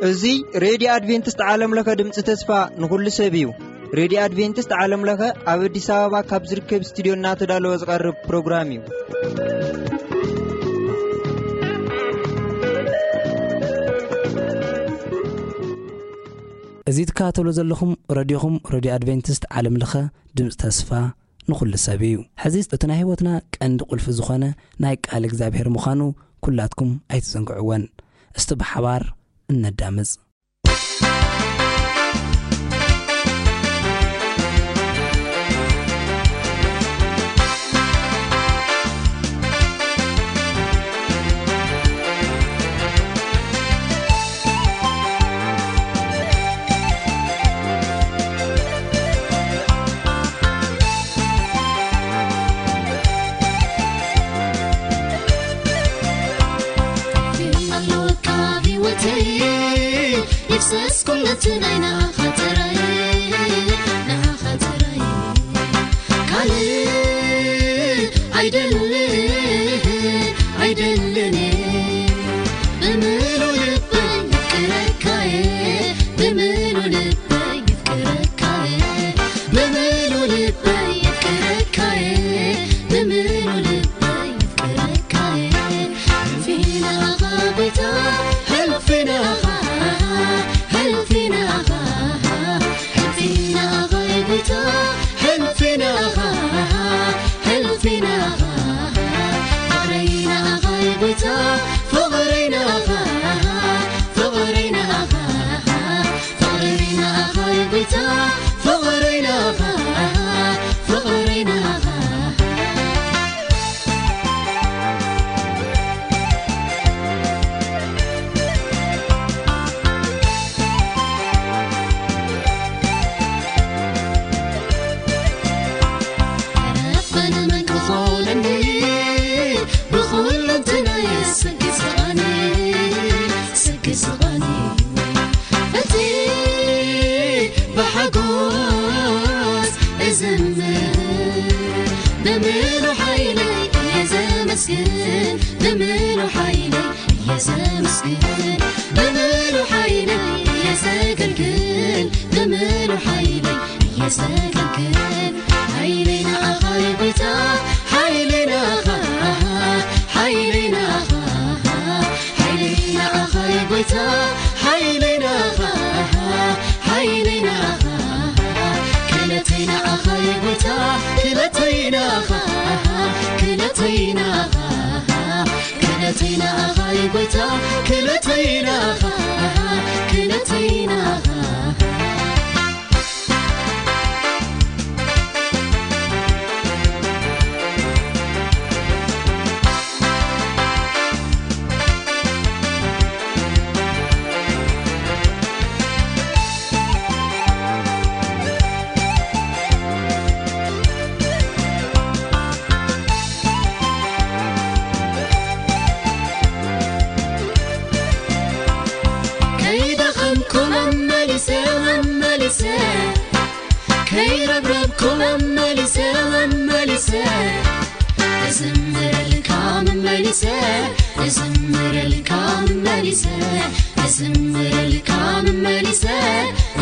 እዚ ሬድዮ ኣድቬንቲስት ዓለም ለኸ ድምፂ ተስፋ ንኹሉ ሰብ እዩ። ሬድዮ ኣድቬንቲስት ዓለም ለኸ ኣብ ኣዲስ ኣበባ ካብ ዝርከብ ስቱድዮ እናተዳለወ ዝቐርብ ፕሮግራም እዩ። እዚ ትከታተሉ ዘለኹም ረድዮኹም ሬድዮ ኣድቬንቲስት ዓለም ለኸ ድምፂ ተስፋ ንኹሉ ሰብ እዩ። ሕዚ እቲ ናይ ህይወትና ቀንዲ ቁልፊ ዝኾነ ናይ ቃል እግዚኣብሔር ምዃኑ ኩላትኩም ኣይትዘንግዕወን። እስቲ ብሓባር እነዳምፅ። ይፍሰስ ኩሉ እቲ ናይ ናኻ ጥራይ፣ ናኻ ጥራይ። ካልእ ኣይደልን፣ ኣይደልን። ብምሉእ ልበይ የፍቅረካየ፣ ብምሉእ ልበይ የፍቅረካየ፣ ብምሉእ ልበይ የፍቅረካየ፣ ብምሉእ ልበይ የፍቅረካየ። ሕልፊ ናኻ ጎይታ፣ ሕልፊ ናኻ፣ ሕልፊ ናኻ፣ ሕልፊ ናኻ ጎይታ፣ ሕልፊ ናኻ፣ ሕልፊ ናኻ። ፍቕረይ ናኻ ጎይታ፣ ፍቕረይ ናኻ፣ ፍቕረይ ናኻ፣ ፍቕረይ ናኻ ጎይታ፣ ፍቕረይ ናኻ፣ ፍቕረይ ናኻ። ረበነ መን ክኾነኒ፣ ብኹለንተናየ ስግስጋኒ፣ ስግስጋኒ። እቲ ብሓጎስ እዝምር፣ ብምሉእ ሓይለይ እየ ዘመስግን፣ ብምሉእ ሓይለይ እየ ዘመስግን፣ ብምሉእ ሓይለይ እየ ዘገልግል፣ ብምሉእ ሓይለይ እየ ዘገልግል። ሓይለይ ንኣኻ እዩ ጎይታ፣ ሓይለይ ንኣኻ፣ ሓይለይ ንኣኻ፣ ሓይለይ ንኣኻ እዩ ጎይታ፣ ሓይለይ ንኣኻ፣ ሓይለይ ንኣኻ። ክእለተይ ንኣኻ እዩ ጎይታ፣ ክእለተይ ንኣኻ፣ ክእለተይ ንኣኻ። ክእለተይ ንኣኻ እዩ ጎይታ፣ ክእለተይ ንኣኻ፣ ክእለተይ ንኣኻ። ከይደኸምኩ መመሊሰ፣ መመሊሰ፣ ከይረብረብኩ መመሊሰ፣ መመሊሰ፣ እዝምረልካ መመሊሰ፣ እዝምረልካ መመሊሰ፣ እዝምረልካ መመሊሰ፣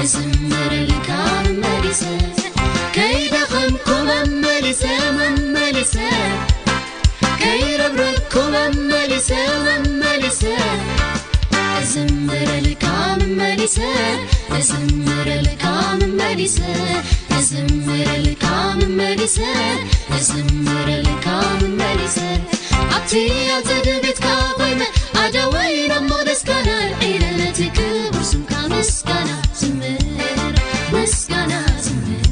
እዝምረልካ መመሊሰ፣ ከይደኸምኩ መመሊሰ፣ መመሊሰ፣ ከይረብረብኩ መመሊሰ፣ መመሊሰ፣ እዝምረልካ መመሊሰ፣ እዝምረልካ መመሊሰ፣ እዝምረልካ መመሊሰ፣ እዝምረልካ መመሊሰ። ኣብቲ ኣጸደ ቤትካ ኮይነ ኣደወይ ናብ መቕደስካ ናልዒለ ነቲ ክቡር ስምካ ምስጋና ዝምር፣ ምስጋና ዝምር፣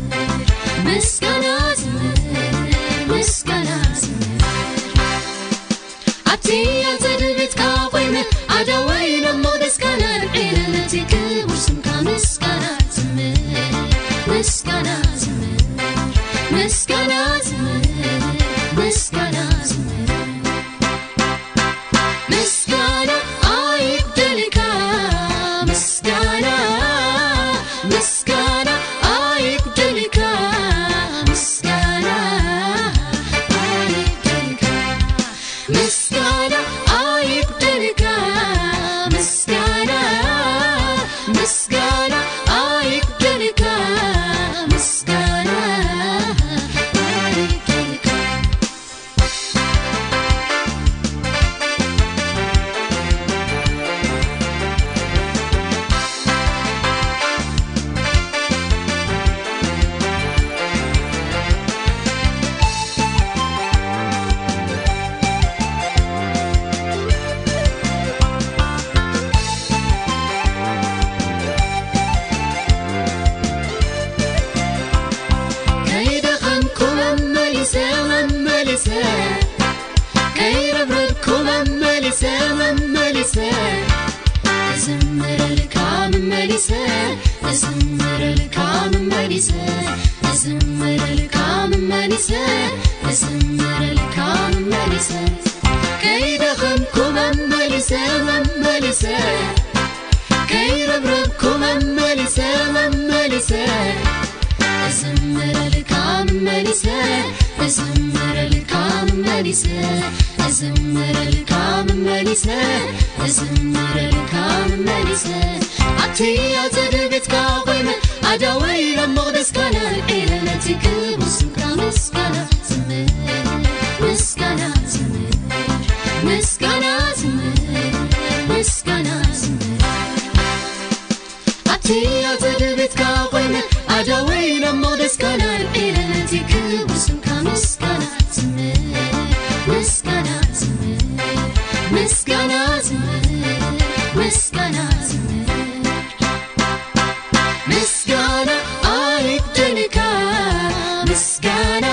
ምስጋና ዝምር፣ ምስጋና ዝምር። ኣብቲ ኣጸደ ቤትካ ኮይነ ኣደወይ ናብ መቕደስካ ናልዒለ ነቲ ክቡር ስምካ ምስጋና ዝምር፣ ምስጋና ዝምር፣ ምስጋና ዝምር፣ ምስጋና ዝምር። ምስጋና ኣይጉደልካ፣ ምስጋና፣ ምስጋና ኣይጉደልካ፣ ምስጋና እዝምረልካ መመሊሰ፣ እዝምረልካ መመሊሰ፣ እዝምረልካ መመሊሰ፣ እዝምረልካ መመሊሰ። ከይደኸምኩ መመሊሰ፣ መመሊሰ፣ ከይረብረብኩ መመሊሰ፣ መመሊሰ፣ እዝምረልካ መመሊሰ፣ እዝምረልካ መመሊሰ፣ እዝምረልካ መመሊሰ፣ እዝምረልካ መመሊሰ። ኣብቲ ኣጸደ ቤትካ ኮይነ ኣዳወይ ናብ መቕደስካ ነልዒለ ነቲ ክቡር ስምካ ምስጋና ዝምህር፣ ምስጋና ዝምህር፣ ምስጋና ዝምህር፣ ምስጋና ዝምህር። ኣብቲ ኣጸደ ቤትካ ኮይነ ኣዳወይ ናብ መቕደስካ ነልዒለ ነቲ ክቡር ስምካ ምስጋና ዝምህር፣ ምስጋና ዝምህር፣ ምስጋና ዝምህር፣ ምስጋና ዝምህር። ምስጋና ኣይጉደልካ፣ ምስጋና፣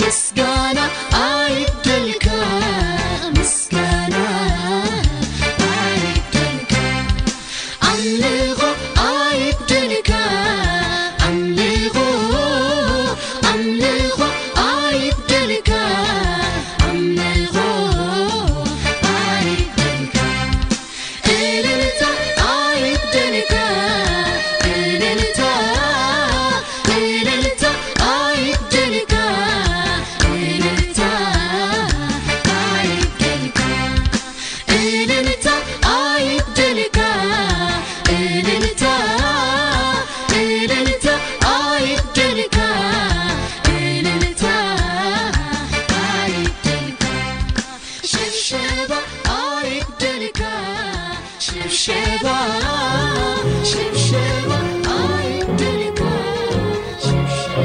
ምስጋና ኣይጉደልካ፣ ምስጋና ኣይጉደልካ። ኣምልኾ ኣይጉደልካ፣ ኣምልኾ፣ ኣምልኾ ኣይጉደልካ፣ ኣምልኾ ኣይጉደልካ። እልልታ ኣይጉደልካ፣ እልልታ፣ እልልታ ኣይጉደልካ፣ እልልታ ኣይጉደልካ። እልልታ ኣይጉደልካ፣ እልልታ፣ እልልታ ኣይጉደልካ፣ እልልታ ኣይጉደልካ። ሽብሸባ ኣይጉደልካ፣ ሽብሸባ፣ ሽብሸባ ኣይጉደልካ፣ ሽብሸባ።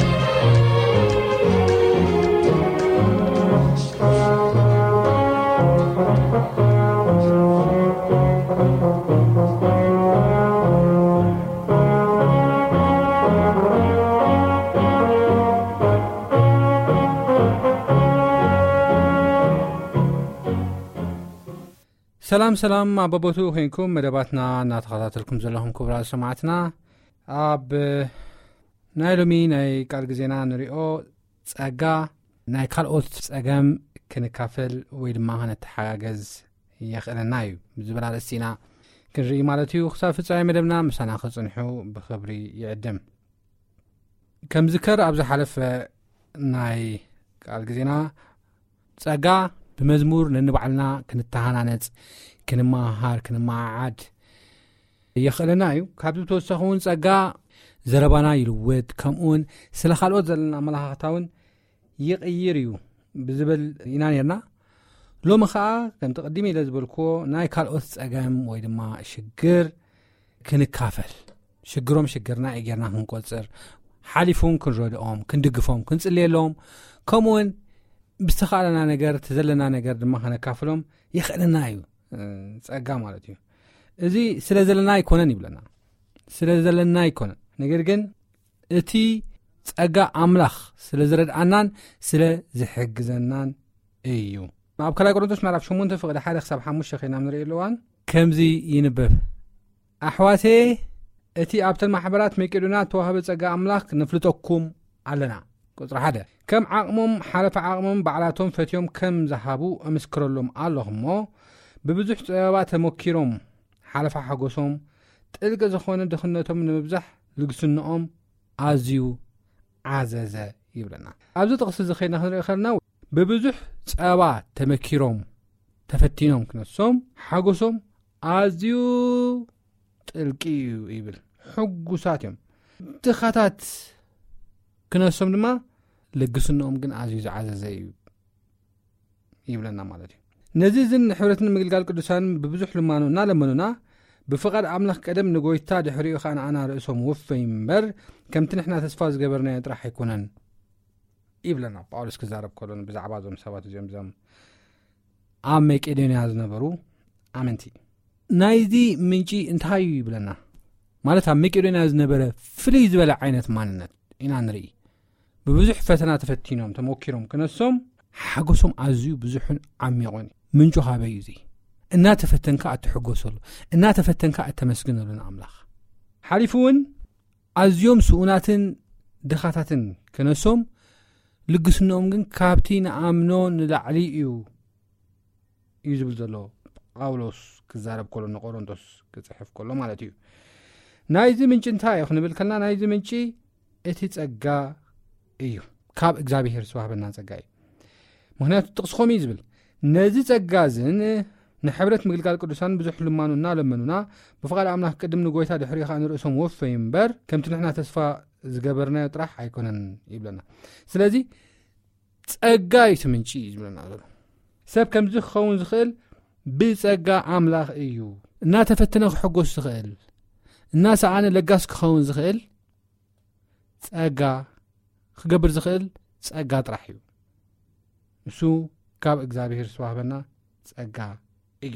ሰላም ሰላም፣ ኣብ በቦትኡ ኮይንኩም መደባትና እናተኸታተልኩም ዘለኹም ክቡራት ሰማዕትና፣ ኣብ ናይ ሎሚ ናይ ቃል ግዜና ንሪኦ ጸጋ ናይ ካልኦት ጸገም ክንካፈል ወይ ድማ ክንተሓጋገዝ የኽእለና እዩ ብዝብል ኣርእስቲ ኢና ክንርኢ ማለት እዩ። ክሳብ ፍጻሜ መደብና ምሳና ክጽንሑ ብኽብሪ ይዕድም። ከም ዝከር ኣብ ዝሓለፈ ናይ ቃል ግዜና ጸጋ ብመዝሙር ነንባዕልና ክንተሃናነጽ፣ ክንመሃር፣ ክንመዓዓድ የኽእለና እዩ። ካብዚ ብተወሳኺ እውን ጸጋ ዘረባና ይልውጥ፣ ከምኡውን ስለ ካልኦት ዘለና ኣመለኻኽታ እውን ይቕይር እዩ ብዝብል ኢና ነርና። ሎሚ ኸኣ ከምቲ ቅድም ኢለ ዝበልክዎ ናይ ካልኦት ጸገም ወይ ድማ ሽግር ክንካፈል፣ ሽግሮም ሽግርና እዩ ጌርና ክንቆጽር፣ ሓሊፉን ክንረድኦም፣ ክንድግፎም፣ ክንጽልየሎም፣ ከምኡውን ብዝተኻእለና ነገር፣ እቲ ዘለና ነገር ድማ ከነካፍሎም የኽእለና እዩ። እ፣ ጸጋ ማለት እዩ። እዚ ስለ ዘለና ኣይኮነን ይብለና። ስለ ዘለና ኣይኮነን። ነገር ግን እቲ ጸጋ ኣምላኽ ስለ ዝረድኣናን ስለ ዝሕግዘናን እዩ። ኣብ ካልኣይ ቆሮንቶስ ምዕራፍ ሸሞንተ ፍቕዲ ሓደ ክሳብ ሓሙሽተ ኸይና ንርኢ ኣለዋን ከምዚ ይንበብ። ኣሕዋተየ፣ እቲ ኣብተን ማሕበራት መቄዶንያ እተዋህበ ጸጋ ኣምላኽ ነፍልጠኩም ኣለና። ቁጽሪ ሓደ፣ ከም ዓቕሞም ሓለፈ ዓቕሞም ባዕላቶም ፈትዮም ከም ዝሃቡ እምስክረሎም ኣለኹ እሞ፣ ብብዙሕ ጸበባ ተመኪሮም ሓለፋ ሓጎሶም፣ ጥልቂ ዝኾነ ድኽነቶም ንምብዛሕ ልግስንኦም ኣዝዩ ዓዘዘ ይብለና። ኣብዚ ጥቕሲ እዚ ኸይና ክንርኢ ከለና፣ ብብዙሕ ጸባ ተመኪሮም ተፈቲኖም ክነሶም ሓጎሶም ኣዝዩ ጥልቂ እዩ ይብል። ሕጉሳት እዮም። ድኻታት ክነሶም ድማ ልግስንኦም ግን ኣዝዩ ዝዓዘዘ እዩ ይብለና ማለት እዩ። ነዚ እዝን ንሕብረትን ምግልጋል ቅዱሳን ብብዙሕ ልማኖ እናለመኑና፣ ብፍቓድ ኣምላኽ ቀደም ንጎይታ ድሕሪኡ ኸኣ ንኣና ርእሶም ወፈይ እምበር፣ ከምቲ ንሕና ተስፋ ዝገበርናዮ ጥራሕ ኣይኮነን ይብለና ጳውሎስ ክዛረብ ከሎ ብዛዕባ እዞም ሰባት እዚኦም፣ እዞም ኣብ መቄዶንያ ዝነበሩ ኣመንቲ። ናይዚ ምንጪ እንታይ እዩ ይብለና። ማለት ኣብ መቄዶንያ ዝነበረ ፍልይ ዝበለ ዓይነት ማንነት ኢና ንርኢ። ብብዙሕ ፈተና ተፈቲኖም፣ ተመኪሮም ክነሶም፣ ሓጎሶም ኣዝዩ ብዙሕን ዓሚቑን እዩ። ምንጩ ካበይ እዩ እዚ? እናተፈተንካ እትሕጎሰሉ፣ እናተፈተንካ እተመስግነሉ ንኣምላኽ። ሓሊፉ እውን ኣዝዮም ስኡናትን ድኻታትን ክነሶም፣ ልግስንኦም ግን ካብቲ ንኣምኖ ንላዕሊ እዩ እዩ ዝብል ዘሎ ጳውሎስ ክዛረብ ከሎ፣ ንቆሮንቶስ ክጽሕፍ ከሎ ማለት እዩ። ናይዚ ምንጪ እንታይ እዩ ክንብል ከልና፣ ናይዚ ምንጪ እቲ ጸጋ እዩ፣ ካብ እግዚኣብሔር ዝተዋህበና ጸጋ እዩ። ምኽንያቱ ጥቕሲ ከምኡ እዩ ዝብል፣ ነዚ ጸጋ እዝን ንሕብረት ምግልጋል ቅዱሳን ብዙሕ ልማኑ እናለመኑና፣ ብፍቓድ ኣምላኽ ቅድም ንጎይታ ድሕሪኡ ኸኣ ንርእሶም ወፈዩ እምበር፣ ከምቲ ንሕና ተስፋ ዝገበርናዮ ጥራሕ ኣይኮነን ይብለና። ስለዚ ጸጋ እዩ እቲ ምንጪ እዩ ዝብለና ዘሎ። ሰብ ከምዚ ክኸውን ዝኽእል ብጸጋ ኣምላኽ እዩ። እናተፈተነ ክሕጎስ ዝኽእል፣ እናሰኣነ ለጋስ ክኸውን ዝኽእል ጸጋ ክገብር ዝኽእል ጸጋ ጥራሕ እዩ። ንሱ ካብ እግዚኣብሔር ዝተዋህበና ጸጋ እዩ።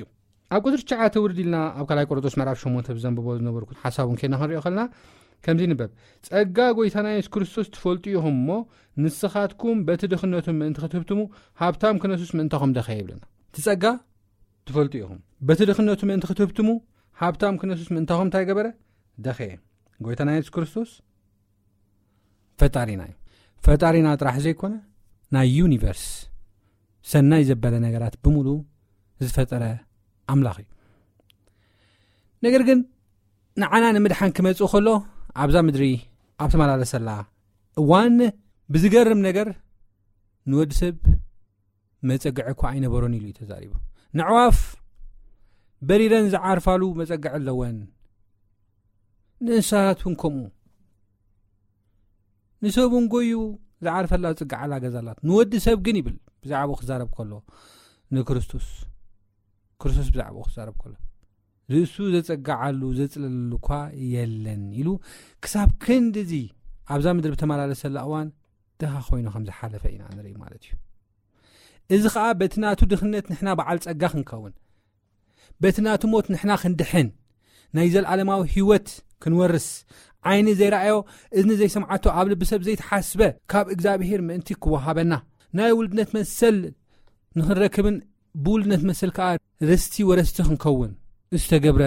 ኣብ ቁጽሪ ትሽዓተ ውርድ ኢልና ኣብ ካልኣይ ቆሮንቶስ ምዕራፍ ሸሞንተ ብዘንብቦ ዝነበርኩ ሓሳብ እውን ኬና ክንሪኦ ከለና ከምዚ ይንበብ፣ "ጸጋ ጎይታና የሱስ ክርስቶስ ትፈልጡ ኢኹም እሞ፣ ንስኻትኩም በቲ ድኽነቱ ምእንቲ ክትህብትሙ ሃብታም ክነሱስ ምእንታኹም ደኸየ" ይብለና። እቲ ጸጋ ትፈልጡ ኢኹም። በቲ ድኽነቱ ምእንቲ ክትህብትሙ ሃብታም ክነሱስ ምእንታኹም እንታይ ገበረ? ደኸየ። ጎይታና የሱስ ክርስቶስ ፈጣሪና እዩ። ፈጣሪና ጥራሕ ዘይኮነ፣ ናይ ዩኒቨርስ ሰናይ ዘበለ ነገራት ብምሉ ዝፈጠረ ኣምላኽ እዩ። ነገር ግን ንዓና ንምድሓን ክመጽእ ከሎ፣ ኣብዛ ምድሪ ኣብ ተመላለሰላ እዋን፣ ብዝገርም ነገር ንወዲ ሰብ መጸግዒ እኳ ኣይነበሮን ኢሉ እዩ ተዛሪቡ። ንዕዋፍ በሪረን ዝዓርፋሉ መጸግዒ ኣለወን፣ ንእንስሳት እውን ከምኡ። ንሰብ እውን ጎዩ ዝዓርፈላ ዝጽግዓላ ገዛ ኣላት። ንወዲ ሰብ ግን ይብል፣ ብዛዕባኡ ክዛረብ ከሎ፣ ንክርስቶስ፣ ክርስቶስ ብዛዕባኡ ክዛረብ ከሎ፣ ርእሱ ዘጸግዓሉ፣ ዘጽለለሉ እኳ የለን ኢሉ፣ ክሳብ ክንድዚ ኣብዛ ምድሪ ብተመላለሰላ እዋን ድኻ ኮይኑ ከም ዝሓለፈ ኢና ንርኢ ማለት እዩ። እዚ ኸኣ በቲ ናቱ ድኽነት ንሕና በዓል ጸጋ ክንከውን፣ በቲ ናቱ ሞት ንሕና ክንድሕን፣ ናይ ዘልኣለማዊ ህይወት ክንወርስ፣ ዓይኒ ዘይረኣዮ፣ እዝኒ ዘይሰምዓቶ፣ ኣብ ልቢ ሰብ ዘይተሓስበ ካብ እግዚኣብሔር ምእንቲ ክወሃበና፣ ናይ ውልድነት መሰል ንኽንረክብን ብውልድነት መሰል ከኣ ርስቲ ወረስቲ ክንከውን ዝተገብረ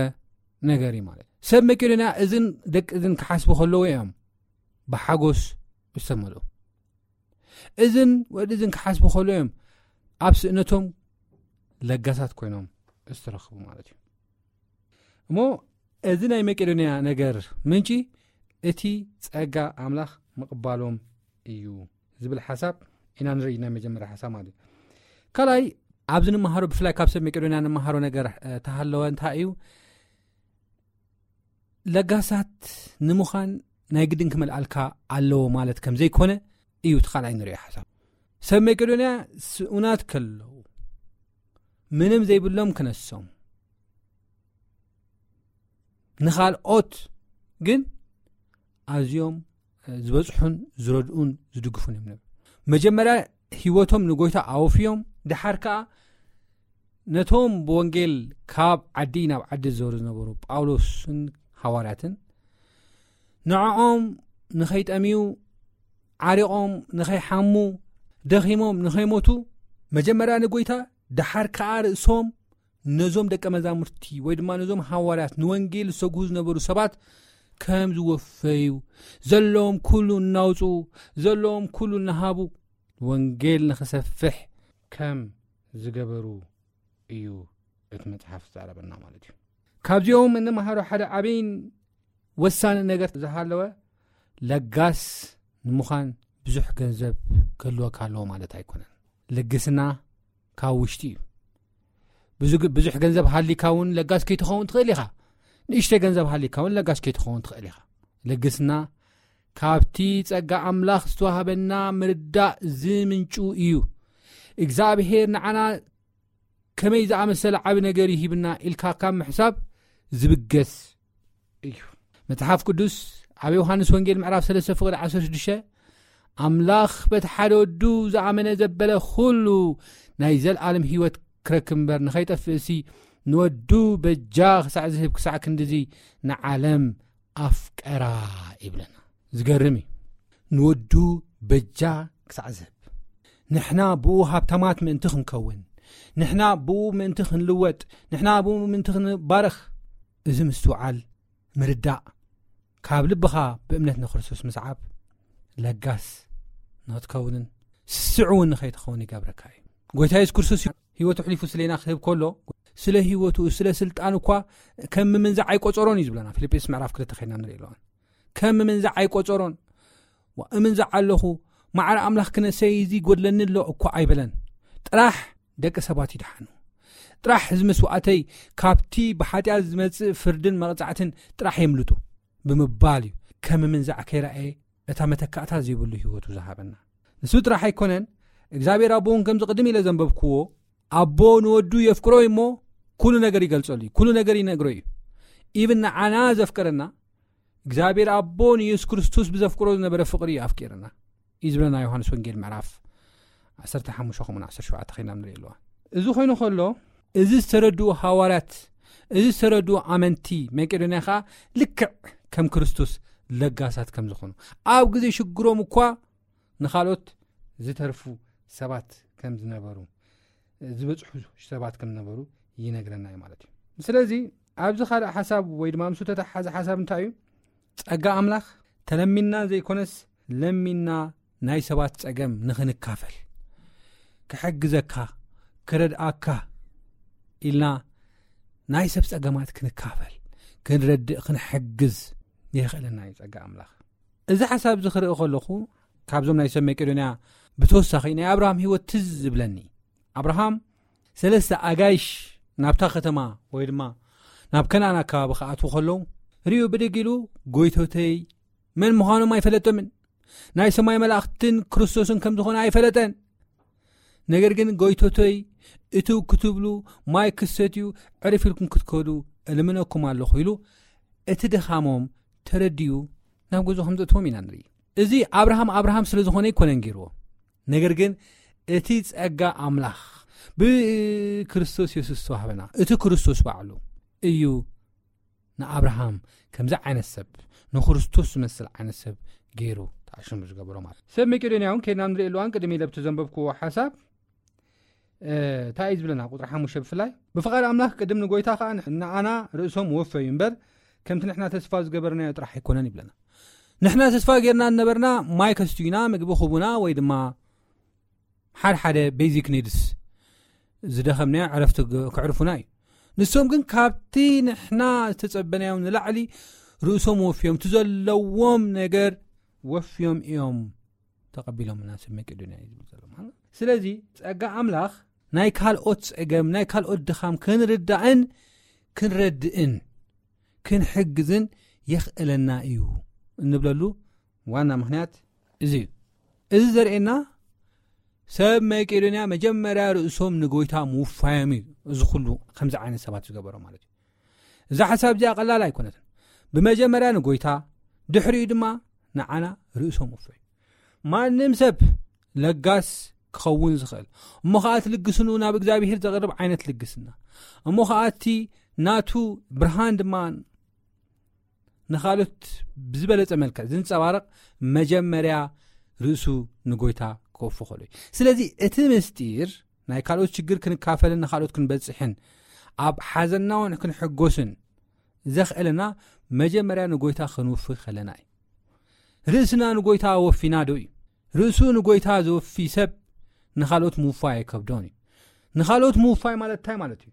ነገር እዩ ማለት። ሰብ መቄዶንያ እዝን ደቂ እዝን ክሓስቡ ከለዉ እዮም ብሓጎስ ዝተመልኡ። እዝን ወዲ እዝን ክሓስቡ ከለዉ እዮም ኣብ ስእነቶም ለጋሳት ኮይኖም ዝተረኽቡ ማለት እዩ። እሞ እዚ ናይ መቄዶንያ ነገር ምንጪ እቲ ጸጋ ኣምላኽ ምቕባሎም እዩ ዝብል ሓሳብ ኢና ንርኢ፣ ናይ መጀመርያ ሓሳብ ማለት እዩ። ካልኣይ ኣብዚ ንመሃሮ፣ ብፍላይ ካብ ሰብ መቄዶንያ ንመሃሮ ነገር፣ እ፣ ተሃለወ እንታይ እዩ? ለጋሳት ንምዃን ናይ ግድን ክመልኣልካ ኣለዎ ማለት ከም ዘይኮነ እዩ እቲ ካልኣይ ንሪኦ ሓሳብ። ሰብ መቄዶንያ ስኡናት ከለዉ ምንም ዘይብሎም ክነሶም፣ ንኻልኦት ግን ኣዝዮም ዝበጽሑን ዝረድኡን ዝድግፉን እዮም ነይሮም። መጀመርያ ህይወቶም ንጎይታ ኣወፍዮም፣ ድሓር ከኣ ነቶም ብወንጌል ካብ ዓዲ ናብ ዓዲ ዝዞሩ ዝነበሩ ጳውሎስን ሃዋርያትን፣ ንዕኦም ንኸይጠምዩ፣ ዓሪቖም ንኸይሓሙ፣ ደኺሞም ንኸይሞቱ፣ መጀመርያ ንጎይታ፣ ድሓር ከኣ ርእሶም ነዞም ደቀ መዛሙርቲ ወይ ድማ ነዞም ሃዋርያት፣ ንወንጌል ዝሰጉሁ ዝነበሩ ሰባት ከም ዝወፈዩ፣ ዘለዎም ኩሉ እናውጽኡ፣ ዘለዎም ኩሉ እናሃቡ፣ ወንጌል ንኽሰፍሕ ከም ዝገበሩ እዩ እቲ መጽሓፍ ዝዛረበና ማለት እዩ። ካብዚኦም እንመሃሮ ሓደ ዓብይን ወሳኒ ነገር ዝሃለወ፣ ለጋስ ንምዃን ብዙሕ ገንዘብ ክህልወካ ኣለዎ ማለት ኣይኮነን። ልግስና ካብ ውሽጢ እዩ። ብዙ-፣ ብዙሕ ገንዘብ ሃሊካ እውን ለጋስ ከይትኸውን ትኽእል ኢኻ። ንእሽተይ ገንዘብ ሃሊካ እውን ለጋስ ከይትኸውን ትኽእል ኢኻ። ልግስና ካብቲ ጸጋ ኣምላኽ ዝተዋህበና ምርዳእ ዝምንጩ እዩ። እግዚኣብሔር ንዓና ከመይ ዝኣመሰለ ዓቢ ነገር ይሂብና ኢልካ ካብ ምሕሳብ ዝብገስ እዩ። መጽሓፍ ቅዱስ ኣብ ዮሃንስ ወንጌል ምዕራፍ ሰለስተ ፍቕዲ ዓሰርተ ሽዱሽተ፣ "ኣምላኽ በቲ ሓደ ወዱ ዝኣመነ ዘበለ ኩሉ ናይ ዘልኣለም ህይወት ክረክብ እምበር ንኸይጠፍእሲ ንወዱ በጃ ክሳዕ ዝህብ ክሳዕ ክንድዚ ንዓለም ኣፍቀራ" ይብለና። ዝገርም እዩ። ንወዱ በጃ ክሳዕ ዝህብ፣ ንሕና ብኡ ሃብታማት ምእንቲ ክንከውን፣ ንሕና ብኡ ምእንቲ ክንልወጥ፣ ንሕና ብኡ ምእንቲ ክንባረኽ፣ እዚ ምስትውዓል፣ ምርዳእ፣ ካብ ልብኻ ብእምነት ንክርስቶስ ምስዓብ ለጋስ ንክትከውንን ስስዕ እውን ንኸይትኸውን ይገብረካ እዩ። ጎይታ የሱስ ክርስቶስ ህይወቱ ኣሕሊፉ ስለና ክህብ ከሎ፣ ስለ ህይወቱ፣ ስለ ስልጣን እኳ ከም ምምንዛዕ ኣይቆጸሮን እዩ ዝብለና። ፊልጵስ ምዕራፍ ክልተ ኸይና ንርኢ ኣለዋን። ከም ምምንዛዕ ኣይቆጸሮን። ዋ፣ እምንዛዕ ኣለኹ፣ ማዕረ ኣምላኽ ክነሰይ እዚ ይጎድለኒ ኣሎ እኳ ኣይበለን። ጥራሕ ደቂ ሰባት ይድሓኑ፣ ጥራሕ እዚ መስዋእተይ ካብቲ ብሓጢኣት ዝመጽእ ፍርድን መቕጻዕትን ጥራሕ የምልጡ ብምባል እዩ ከም ምምንዛዕ ከይረኣየ እታ መተካእታ ዘይብሉ ህይወቱ ዝሃበና። ንሱ ጥራሕ ኣይኮነን፣ እግዚኣብሔር ኣቦ እውን ከምዚ ቅድም ኢለ ዘንበብክዎ፣ ኣቦ ንወዱ የፍቅሮ እዩ እሞ ኩሉ ነገር ይገልጸሉ እዩ፣ ኩሉ ነገር ይነግሮ እዩ። ኢብን ንዓና ዘፍቀረና እግዚኣብሔር ኣቦ ንየሱስ ክርስቶስ ብዘፍቅሮ ዝነበረ ፍቕሪ እዩ ኣፍቂርና እዩ ዝብለና ዮሃንስ ወንጌል ምዕራፍ ዓሰርተ ሓሙሽተ ከምኡን ዓሰርተ ሸውዓተ ኸይና ንርኢ ኣለዋ። እዚ ኮይኑ ከሎ፣ እዚ ዝተረድኡ ሃዋርያት፣ እዚ ዝተረድኡ ኣመንቲ መቄዶንያ ኸዓ ልክዕ ከም ክርስቶስ ለጋሳት ከም ዝኾኑ፣ ኣብ ግዜ ሽግሮም እኳ ንኻልኦት ዝተርፉ ሰባት ከም ዝነበሩ፣ ዝበጽሑ ሰባት ከም ዝነበሩ ይነግረና እዩ ማለት እዩ። ስለዚ ኣብዚ ካልእ ሓሳብ ወይ ድማ ምስ ተተሓሓዘ ሓሳብ እንታይ እዩ? ጸጋ ኣምላኽ ተለሚና ዘይኮነስ ለሚና ናይ ሰባት ጸገም ንኽንካፈል፣ ክሕግዘካ፣ ክረድኣካ ኢልና ናይ ሰብ ጸገማት ክንካፈል፣ ክንረድእ፣ ክንሕግዝ የኽእለና እዩ ጸጋ ኣምላኽ። እዚ ሓሳብ እዚ ክርኢ ከለኹ፣ ካብዞም ናይ ሰብ መቄዶንያ ብተወሳኺ ናይ ኣብርሃም ህይወት ትዝ ዝብለኒ። ኣብርሃም ሰለስተ ኣጋይሽ ናብታ ከተማ ወይ ድማ ናብ ከነኣን ኣከባቢ ክኣትዉ ከለዉ፣ ርእዩ ብድግ ኢሉ፣ ጎይቶተይ መን ምዃኖም ኣይፈለጦምን። ናይ ሰማይ መላእኽትን ክርስቶስን ከም ዝኾነ ኣይፈለጠን። ነገር ግን ጎይቶተይ፣ እትው ክትብሉ፣ ማይ ክትሰትዩ፣ ዕርፍ ኢልኩም ክትከዱ እልምነኩም ኣለኹ ኢሉ፣ እቲ ድኻሞም ተረዲኡ ናብ ገዝኡ ከም ዘእትዎም ኢና ንርኢ። እዚ ኣብርሃም ኣብርሃም ስለ ዝኾነ ኣይኮነን ገይርዎ። ነገር ግን እቲ ጸጋ ኣምላኽ ብክርስቶስ የሱስ ዝተዋህበና፣ እቲ ክርስቶስ ባዕሉ እዩ ንኣብርሃም ከምዚ ዓይነት ሰብ፣ ንክርስቶስ ዝመስል ዓይነት ሰብ ገይሩ ተኣሽሙ ዝገበሮ ማለት እዩ። ሰብ መቄዶንያ እውን ከይድና ንርኢ ኣለዋን ቅድሚ ኢለ ብቲ ዘንበብክዎ ሓሳብ፣ እ፣ እንታይ እዩ ዝብለና? ቁጽሪ ሓሙሽተ ብፍላይ፣ "ብፍቓድ ኣምላኽ ቅድም ንጎይታ ኸኣ ንዓና ርእሶም ወፈዩ እምበር፣ ከምቲ ንሕና ተስፋ ዝገበርናዮ ጥራሕ ኣይኮነን" ይብለና። ንሕና ተስፋ ጌርና ዝነበርና ማይ ከስቱዩና፣ ምግቢ ክቡና፣ ወይ ድማ ሓደ ሓደ ቤዚክ ኒድስ ዝደኸምናዮ ዕረፍቲ ግ-፣ ከዕርፉና እዩ። ንሶም ግን ካብቲ ንሕና ዝተጸበናዮም ንላዕሊ ርእሶም ወፍዮም፣ እቲ ዘለዎም ነገር ወፍዮም እዮም ተቐቢሎምና፣ ሰብ መቄዶንያ እዩ ዝብል ዘሎ ማለት። ስለዚ ጸጋ ኣምላኽ ናይ ካልኦት ጸገም፣ ናይ ካልኦት ድኻም ክንርዳእን ክንረድእን ክንሕግዝን የኽእለና እዩ እንብለሉ ዋና ምኽንያት እዚ እዩ። እዚ ዘርእየና ሰብ መቄዶንያ መጀመርያ ርእሶም ንጎይታ ምውፋዮም እዩ። እዚ ኩሉ ከምዚ ዓይነት ሰባት ዝገበሮ ማለት እዩ። እዛ ሓሳብ እዚኣ ቀላል ኣይኮነትን። ብመጀመርያ ንጎይታ፣ ድሕሪኡ ድማ ንዓና ርእሶም ወፈዩ። ማንም ሰብ ለጋስ ክኸውን ዝኽእል፣ እሞ ኸኣ እቲ ልግስንኡ ናብ እግዚኣብሔር ዘቕርብ ዓይነት ልግስና፣ እሞ ኸኣ እቲ ናቱ ብርሃን ድማ ንኻልኦት ብዝበለጸ መልክዕ ዝንጸባረቕ፣ መጀመርያ ርእሱ ንጎይታ ክወፍኸሉ እዩ። ስለዚ እቲ ምስጢር ናይ ካልኦት ችግር ክንካፈልን ንኻልኦት ክንበጽሕን ኣብ ሓዘንና እውን ክንሕጎስን ዘኽእለና መጀመርያ ንጎይታ ክንውፊ ከለና እዩ። ርእስና ንጎይታ ወፊና ዶ እዩ? ርእሱ ንጎይታ ዘወፊ ሰብ ንኻልኦት ምውፋይ ኣይከብዶን እዩ። ንኻልኦት ምውፋይ ማለት እንታይ ማለት እዩ?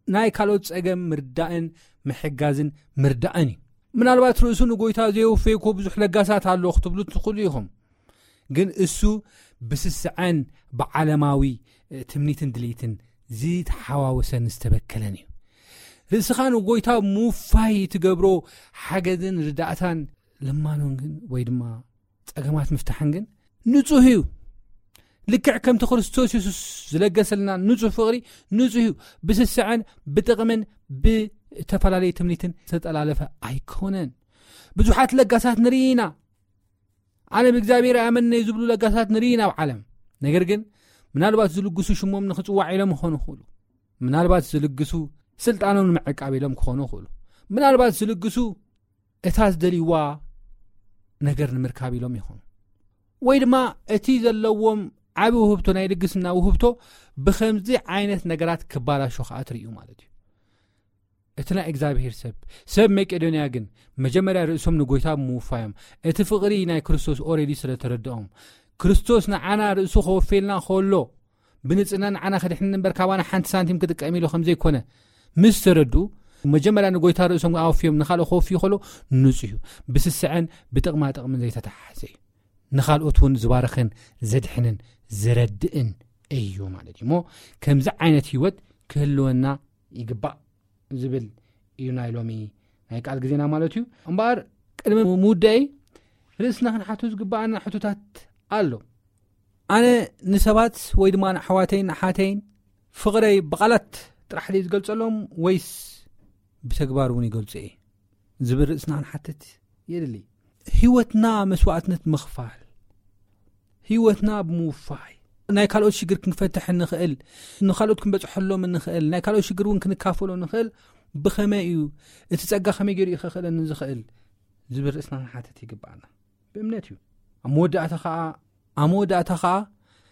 ናይ ካልኦት ጸገም ምርዳእን ምሕጋዝን ምርዳእን እዩ። ምናልባት ርእሱ ንጎይታ ዘየወፈየ እኮ ብዙሕ ለጋሳት ኣሎ ክትብሉ ትኽእሉ ኢኹም። ግን እሱ ብስስዐን ብዓለማዊ፣ እ፣ ትምኒትን ድሌትን ዝተሓዋወሰን ዝተበከለን እዩ። ርእስኻ ንጎይታ ምውፋይ ትገብሮ ሓገዝን ርዳእታን ልማኖን ግን ወይ ድማ ጸገማት ምፍታሕን ግን ንጹህ እዩ። ልክዕ ከምቲ ክርስቶስ የሱስ ዝለገሰልና ንጹህ ፍቕሪ ንጹህ እዩ። ብስስዐን ብጥቕምን ብተፈላለየ ትምኒትን ዝተጠላለፈ ኣይኮነን። ብዙሓት ለጋሳት ንርኢ ኢና። ኣነ ብእግዚኣብሔር ኣመነ ዝብሉ ለጋሳት ንርኢ ኢና ኣብ ዓለም። ነገር ግን ምናልባት ዝልግሱ ሽሞም ንኽጽዋዕ ኢሎም ክኾኑ ይኽእሉ። ምናልባት ዝልግሱ ስልጣኖም ንምዕቃብ ኢሎም ክኾኑ ይኽእሉ። ምናልባት ዝልግሱ እታ ዝደልይዋ ነገር ንምርካብ ኢሎም ይኾኑ። ወይ ድማ እቲ ዘለዎም ዓቢ ውህብቶ፣ ናይ ልግስና ውህብቶ ብኸምዚ ዓይነት ነገራት ክባላሾ ከኣ ትርእዩ ማለት እዩ። እቲ ናይ እግዚኣብሔር ሰብ፣ ሰብ መቄዶንያ ግን መጀመርያ ርእሶም ንጎይታ ብምውፋዮም፣ እቲ ፍቕሪ ናይ ክርስቶስ ኦሬዲ ስለ ተረድኦም፣ ክርስቶስ ንዓና ርእሱ ከወፍየልና ከሎ፣ ብንጽህና ንዓና ከድሕን እምበር ካባና ሓንቲ ሳንቲም ክጥቀም ኢሉ ከም ዘይኮነ ምስ ተረድኡ፣ መጀመርያ ንጎይታ ርእሶም ኣወፍዮም ንኻልኦ ከወፍዩ ከሎ ንጹህ እዩ። ብስስዐን ብጥቕማ ጥቕምን ዘይተተሓሓዘ እዩ። ንኻልኦት እውን ዝባርኽን ዘድሕንን ዘረድእን እዩ ማለት እዩ። እሞ ከምዚ ዓይነት ህይወት ክህልወና ይግባእ ዝብል እዩ ናይ ሎሚ ናይ ቃል ግዜና ማለት እዩ። እምበኣር ቅድሚ ምውዳይ ርእስና ክንሓቱ ዝግባኣና ሕቶታት ኣሎ። ኣነ ንሰባት ወይ ድማ ንኣሕዋተይን ንሓተይን ፍቕረይ ብቓላት ጥራሕ ድየ ዝገልጸሎም ወይስ ብተግባር እውን ይገልጾ እየ ዝብል ርእስና ክንሓትት የድሊ። ህይወትና መስዋዕትነት ምኽፋል፣ ህይወትና ብምውፋይ ናይ ካልኦት ሽግር ክንፈትሕ እንኽእል፣ ንኻልኦት ክንበጽሐሎም እንኽእል፣ ናይ ካልኦት ሽግር እውን ክንካፈሎ እንኽእል ብኸመይ እዩ? እቲ ጸጋ ከመይ ገይሩ እዩ ከኽእለኒ ዝኽእል ዝብል ርእስና ክንሓትት ይግባኣና። ብእምነት እዩ። ኣብ መወዳእታ ኸኣ፣ ኣብ መወዳእታ ኸኣ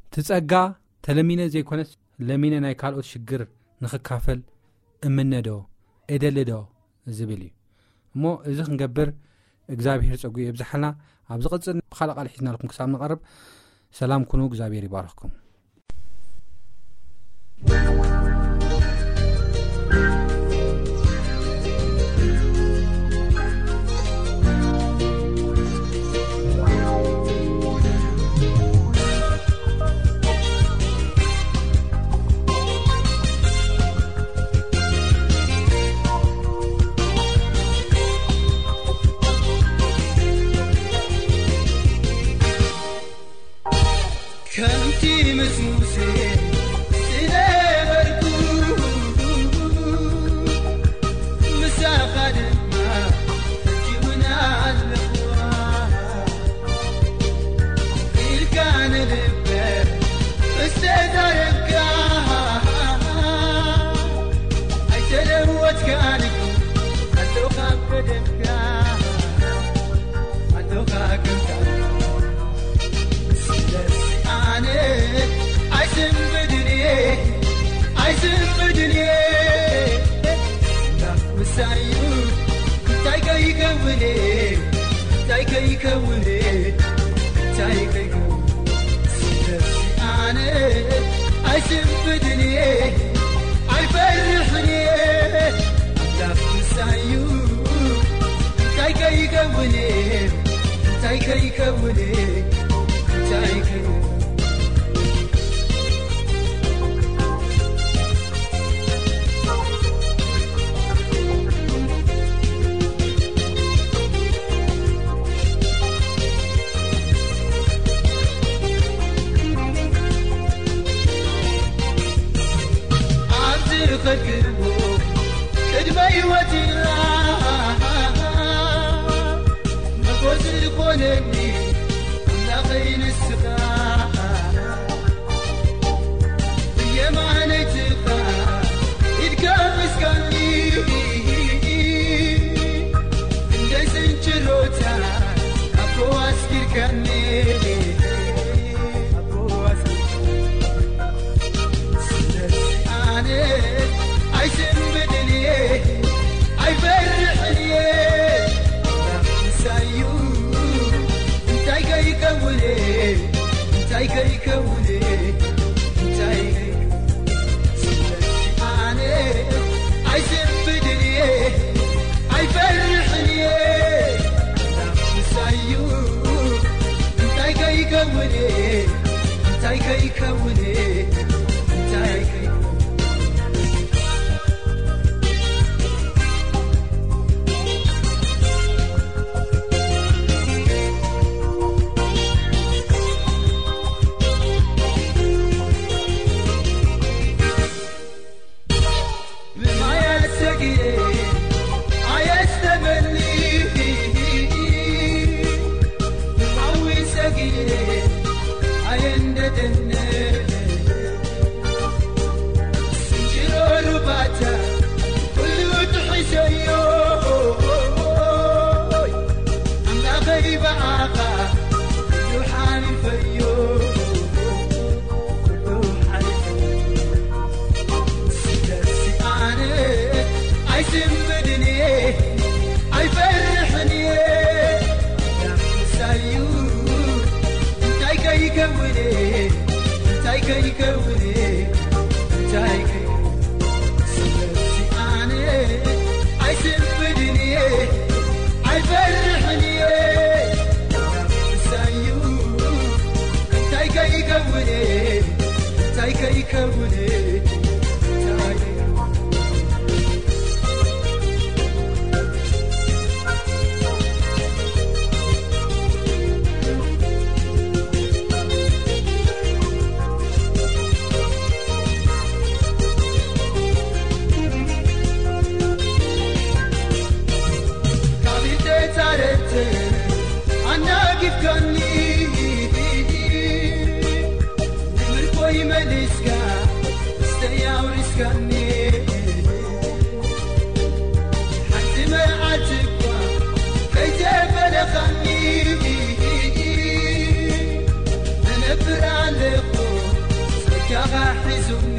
እቲ ጸጋ ተለሚነ ዘይኮነስ ለሚነ ናይ ካልኦት ሽግር ንኽካፈል እምነ ዶ፣ እደሊ ዶ ዝብል እዩ። እሞ እዚ ክንገብር እግዚኣብሔር ጸጉ የብዝሓልና። ኣብ ዝቕጽል ብኻልእ ቃል ሒዝናልኩም ክሳብ ንቐርብ ሰላም ኩኑ፣ እግዚኣብሔር ይባርኽኩም። ከምቲ ምስ ሙሴ ዝነበርኩ፣ ምሳኻ ድማ ሕጂ እውን ኣለኹ ኢልካ ንልበ ምስ ተዛረብካ፣ ኣይተለወጥካን እኮ፣ ኣጆኻ ኣብ ቀደምካ፣ ኣጆኻ ከምታ ስለዚ ኣነ ኣይስንብድን እየ፣ ኣይስንብድን እየ። ኣምላኽ ምሳዩ እንታይ ከይከውን እየ፣ እንታይ ከይከውን እየ፣ እንታይ ከይከውን። ስለዚ ኣነ ኣይስንብድን እየ፣ ኣይፈርሕን እየ። ኣምላኽ ምሳዩ እንታይ ከይከውን እየ፣ እንታይ ከይከውን እየ፣ እንታይ ከይከውን። ኣብዚ ዝኸድክዎ ቅድመ ህይወትና መጎስ ዝኾነኒ ኣምላኸይ ንስኻ፣ ብየማነይትኻ ኢድካ ሒዝካኒ፣ እንደ ስንጭሮታ ኣቦ ኣስጊርካኒ፣ ኣቦ ኣስጊርካኒ። ስለዚ ኣነ ኣይስንብድን እየ፣ ኣይፈርሕን እየ። ኣምላኽ ምሳዩ እንታይ ከይከውን እየ፣ እንታይ ከይከውን እየ፣ እንታይ ከይከውን። ስለዚ ኣነ ኣይስንብድን እየ፣ ኣይፈርሕን እየ። ኣምላኽ ምሳዩ እንታይ ከይከውን እየ፣ እንታይ ከይከውን እየ፣ እንታይ ከይከውን። ብማያት ሰጊረ ኣየስተመሊ፣ ብሓዊ ሰጊረ ኣየንደደነ። ከይከውኔ እንታይ ከይከውኔ እንታይ ከይ ስለዚ ኣነ ኣይስንብድን እየ ኣይፈርሕን እየ እሳዩ እንታይ ከይከውኔ እንታይ ከይከውኔ እንታይ ካብ ተጻረተ ኣናጊፍካኒ ንምርኮይ መሊስካ ስተይ ኣውሪስካኒ ሓንቲ መዓልቲ እኳ ከይተፈለኻኒ እነብር ኣለኹ ጸጋኻ ሒዙኒ